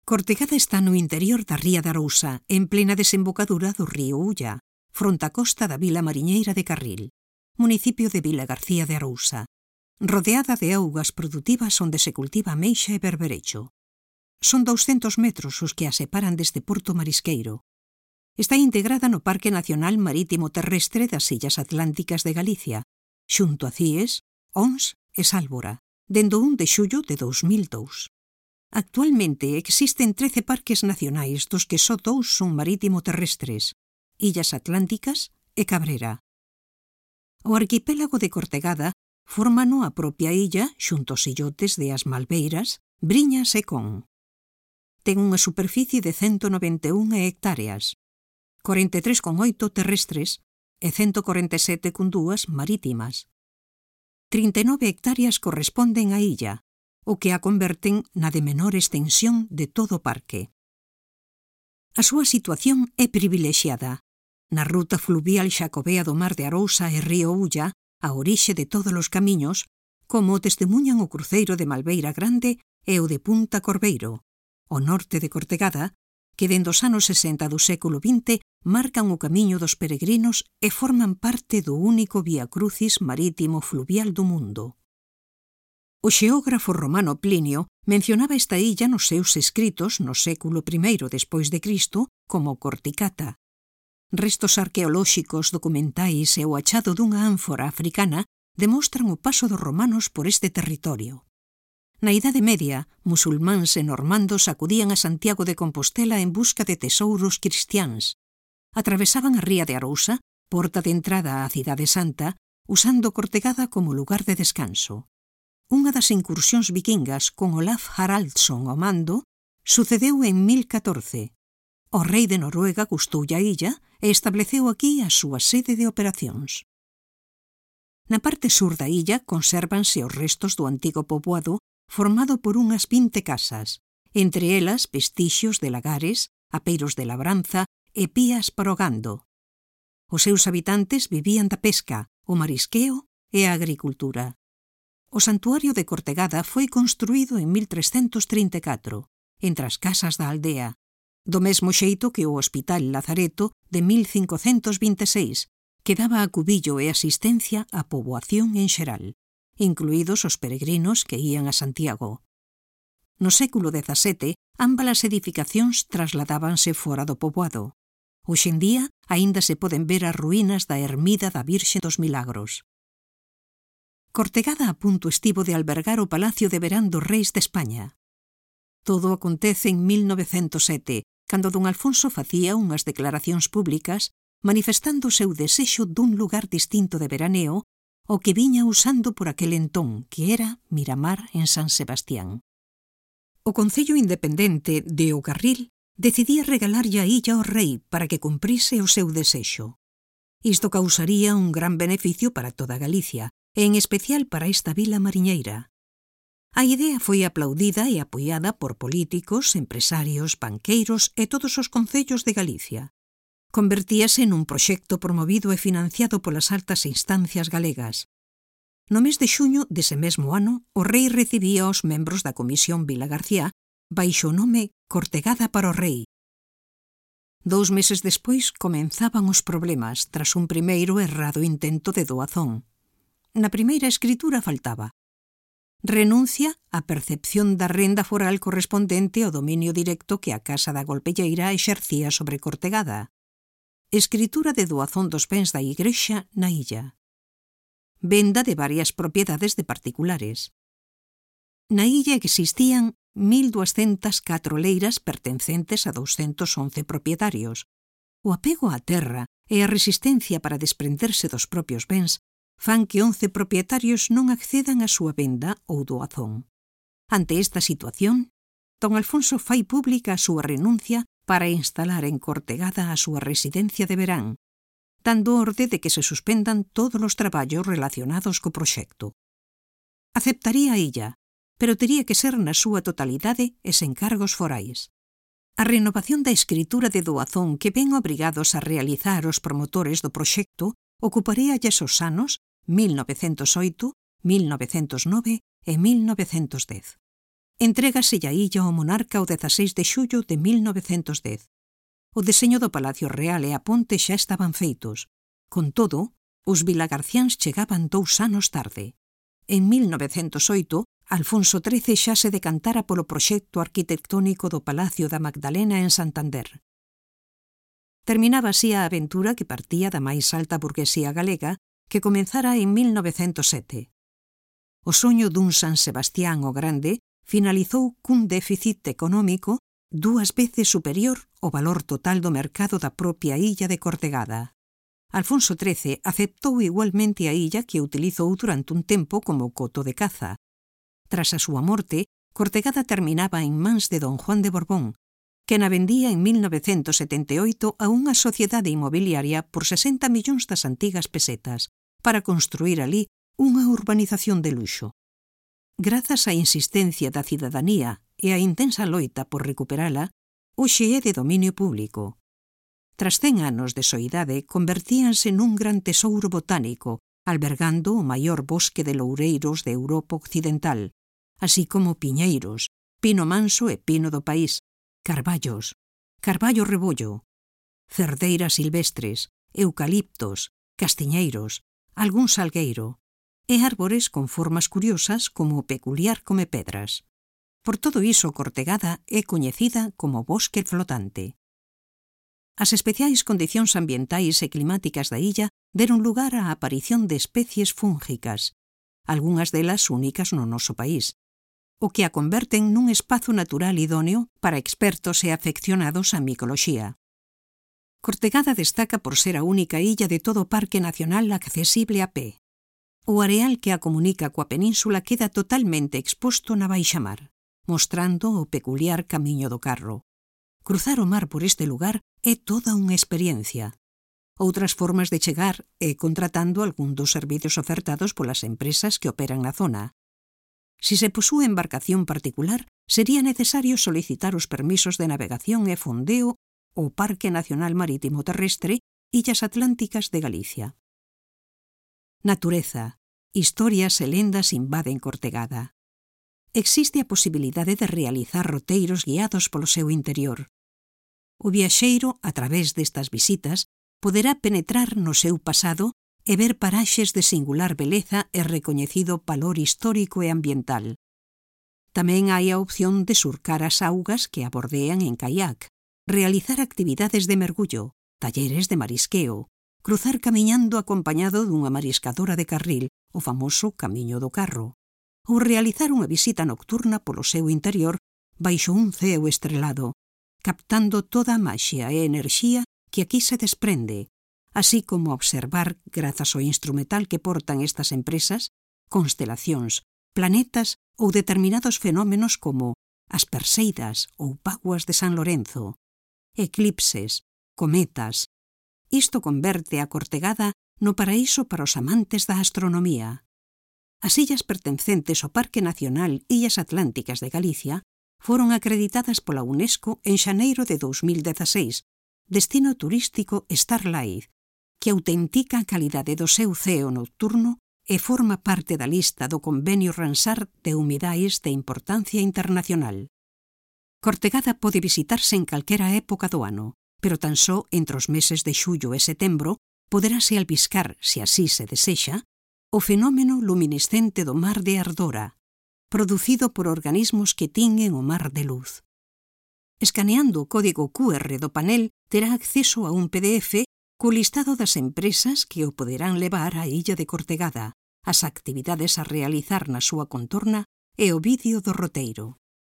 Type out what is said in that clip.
Cortegada está no interior da ría de Arousa, en plena desembocadura do río Ulla, fronte á costa da vila mariñeira de Carril, municipio de Vilagarcía de Arousa, rodeada de augas produtivas onde se cultiva ameixa e berberecho. Son 200 metros os que a separan deste porto marisqueiro. Está integrada no Parque Nacional Marítimo Terrestre das Illas Atlánticas de Galicia, xunto a Cíes, Ons e Sálvora, dende o 1 de xullo de 2002. Actualmente existen 13 parques nacionais, dos que só 2 son marítimo terrestres, Illas Atlánticas e Cabrera. O arquipélago de Cortegada fórmano a propia illa xunto aos illotes de As Malveiras, Briñas e Con. Ten unha superficie de 191 hectáreas, 43,8 terrestres e 147,2 marítimas. 39 hectáreas corresponden á illa, o que a converten na de menor extensión de todo o parque. A súa situación é privilexiada. Na ruta fluvial xacobea do mar de Arousa e río Ulla, a orixe de todos os camiños, como o testemunhan o cruceiro de Malveira Grande e o de Punta Corbeiro, ao norte de Cortegada, que dende os anos 60 do século XX marcan o camiño dos peregrinos e forman parte do único vía crucis marítimo fluvial do mundo. O xeógrafo romano Plinio mencionaba esta illa nos seus escritos no século I despois de Cristo como Corticata. Restos arqueolóxicos, documentais e o achado dunha ánfora africana demostran o paso dos romanos por este territorio. Na Idade Media, musulmáns e normandos acudían a Santiago de Compostela en busca de tesouros cristiáns. Atravesaban a ría de Arousa, porta de entrada á Cidade Santa, usando Cortegada como lugar de descanso. Unha das incursións vikingas con Olaf Haraldsson ao mando sucedeu en 1014. O rei de Noruega gustoulle a illa e estableceu aquí a súa sede de operacións. Na parte sur da illa consérvanse os restos do antigo poboado formado por unhas 20 casas, entre elas vestixios de lagares, apeiros de labranza e pías para o gando. Os seus habitantes vivían da pesca, o marisqueo e a agricultura. O santuario de Cortegada foi construído en 1334, entre as casas da aldea, do mesmo xeito que o Hospital Lazareto de 1526, que daba acubillo e asistencia á poboación en xeral, incluídos os peregrinos que ían a Santiago. No século XVII, ambas as edificacións trasladábanse fora do poboado. Hoxe en día, aínda se poden ver as ruínas da ermida da Virxe dos Milagros. Cortegada a punto estivo de albergar o Palacio de Verán dos Reis de España. Todo acontece en 1907, cando don Alfonso facía unhas declaracións públicas manifestando o seu desexo dun lugar distinto de veraneo o que viña usando por aquel entón, que era Miramar en San Sebastián. O Concello Independente de O Carril decidía regalarlle a illa ao rei para que cumprise o seu desexo. Isto causaría un gran beneficio para toda Galicia, e en especial para esta vila mariñeira. A idea foi aplaudida e apoiada por políticos, empresarios, banqueiros e todos os concellos de Galicia. Convertíase nun proxecto promovido e financiado polas altas instancias galegas. No mes de xuño dese mesmo ano, o rei recibía aos membros da Comisión Vilagarcía baixo o nome Cortegada para o Rei. 2 meses despois comenzaban os problemas tras un primeiro errado intento de doazón. Na primeira escritura faltaba renuncia á percepción da renda foral correspondente ao dominio directo que a Casa da Golpelleira exercía sobre Cortegada, escritura de doazón dos bens da Igrexa na illa, venda de varias propiedades de particulares. Na illa existían 1.204 leiras pertencentes a 211 propietarios. O apego á terra e a resistencia para desprenderse dos propios bens fan que 11 propietarios non accedan á súa venda ou doazón. Ante esta situación, don Alfonso fai pública a súa renuncia para instalar en Cortegada a súa residencia de verán, dando orde de que se suspendan todos os traballos relacionados co proxecto. Aceptaría a illa, pero tería que ser na súa totalidade e sen cargos forais. A renovación da escritura de doazón que ven obrigados a realizar os promotores do proxecto ocuparía os anos 1908, 1909 e 1910. Entrégase a illa ao monarca o 16 de xullo de 1910. O deseño do Palacio Real e a ponte xa estaban feitos. Con todo, os vilagarciáns chegaban 2 anos tarde. En 1908, Alfonso XIII xa se decantara polo proxecto arquitectónico do Palacio da Magdalena en Santander. Terminaba así a aventura que partía da máis alta burguesía galega que comenzara en 1907. O soño dun San Sebastián o Grande finalizou cun déficit económico 2 veces superior ao valor total do mercado da propia illa de Cortegada. Alfonso XIII aceptou igualmente a illa que utilizou durante un tempo como coto de caza. Tras a súa morte, Cortegada terminaba en mans de don Juan de Borbón, que na vendía en 1978 a unha sociedade inmobiliaria por 60 millóns das antigas pesetas para construir ali unha urbanización de luxo. Grazas á insistencia da cidadanía e á intensa loita por recuperala, hoxe é de dominio público. Tras 100 anos de soidade, convertíanse nun gran tesouro botánico, albergando o maior bosque de loureiros de Europa Occidental, así como piñeiros, pino manso e pino do país, carballos, carballo rebollo, cerdeiras silvestres, eucaliptos, castiñeiros, algún salgueiro, e árbores con formas curiosas como o peculiar comepedras. Por todo iso, Cortegada é coñecida como bosque flotante. As especiais condicións ambientais e climáticas da illa deron lugar á aparición de especies fúngicas, algunhas delas únicas no noso país, o que a converten nun espazo natural idóneo para expertos e afeccionados á micoloxía. Cortegada destaca por ser a única illa de todo o Parque Nacional accesible a pé. O areal que a comunica coa península queda totalmente exposto na baixamar, mostrando o peculiar camiño do carro. Cruzar o mar por este lugar é toda unha experiencia. Outras formas de chegar é contratando algún dos servizos ofertados polas empresas que operan na zona. Si se posúe embarcación particular, sería necesario solicitar os permisos de navegación e fondeo ao Parque Nacional Marítimo Terrestre Illas Atlánticas de Galicia. Natureza, historias e lendas invaden Cortegada. Existe a posibilidade de realizar roteiros guiados polo seu interior. O viaxeiro, a través destas visitas, poderá penetrar no seu pasado e ver paraxes de singular beleza e recoñecido valor histórico e ambiental. Tamén hai a opción de surcar as augas que a bordean en caiac, realizar actividades de mergullo, talleres de marisqueo, cruzar camiñando acompañado dunha mariscadora de carril, o famoso Camiño do Carro, ou realizar unha visita nocturna polo seu interior baixo un ceo estrelado, captando toda a maxia e enerxía que aquí se desprende, así como observar, grazas ao instrumental que portan estas empresas, constelacións, planetas ou determinados fenómenos como as Perseidas ou vaguas de San Lorenzo, eclipses, cometas. Isto converte a Cortegada no paraíso para os amantes da astronomía. As illas pertencentes ao Parque Nacional Illas Atlánticas de Galicia foron acreditadas pola UNESCO en xaneiro de 2016, destino turístico Starlight, que autentica a calidade do seu ceo nocturno e forma parte da lista do Convenio Ramsar de Humidais de Importancia Internacional. Cortegada pode visitarse en calquera época do ano, pero tan só entre os meses de xullo e setembro poderase albiscar, se así se desexa, o fenómeno luminescente do mar de Ardora, producido por organismos que tinguen o mar de luz. Escaneando o código QR do panel, terá acceso a un PDF co listado das empresas que o poderán levar á illa de Cortegada, as actividades a realizar na súa contorna e o vídeo do roteiro.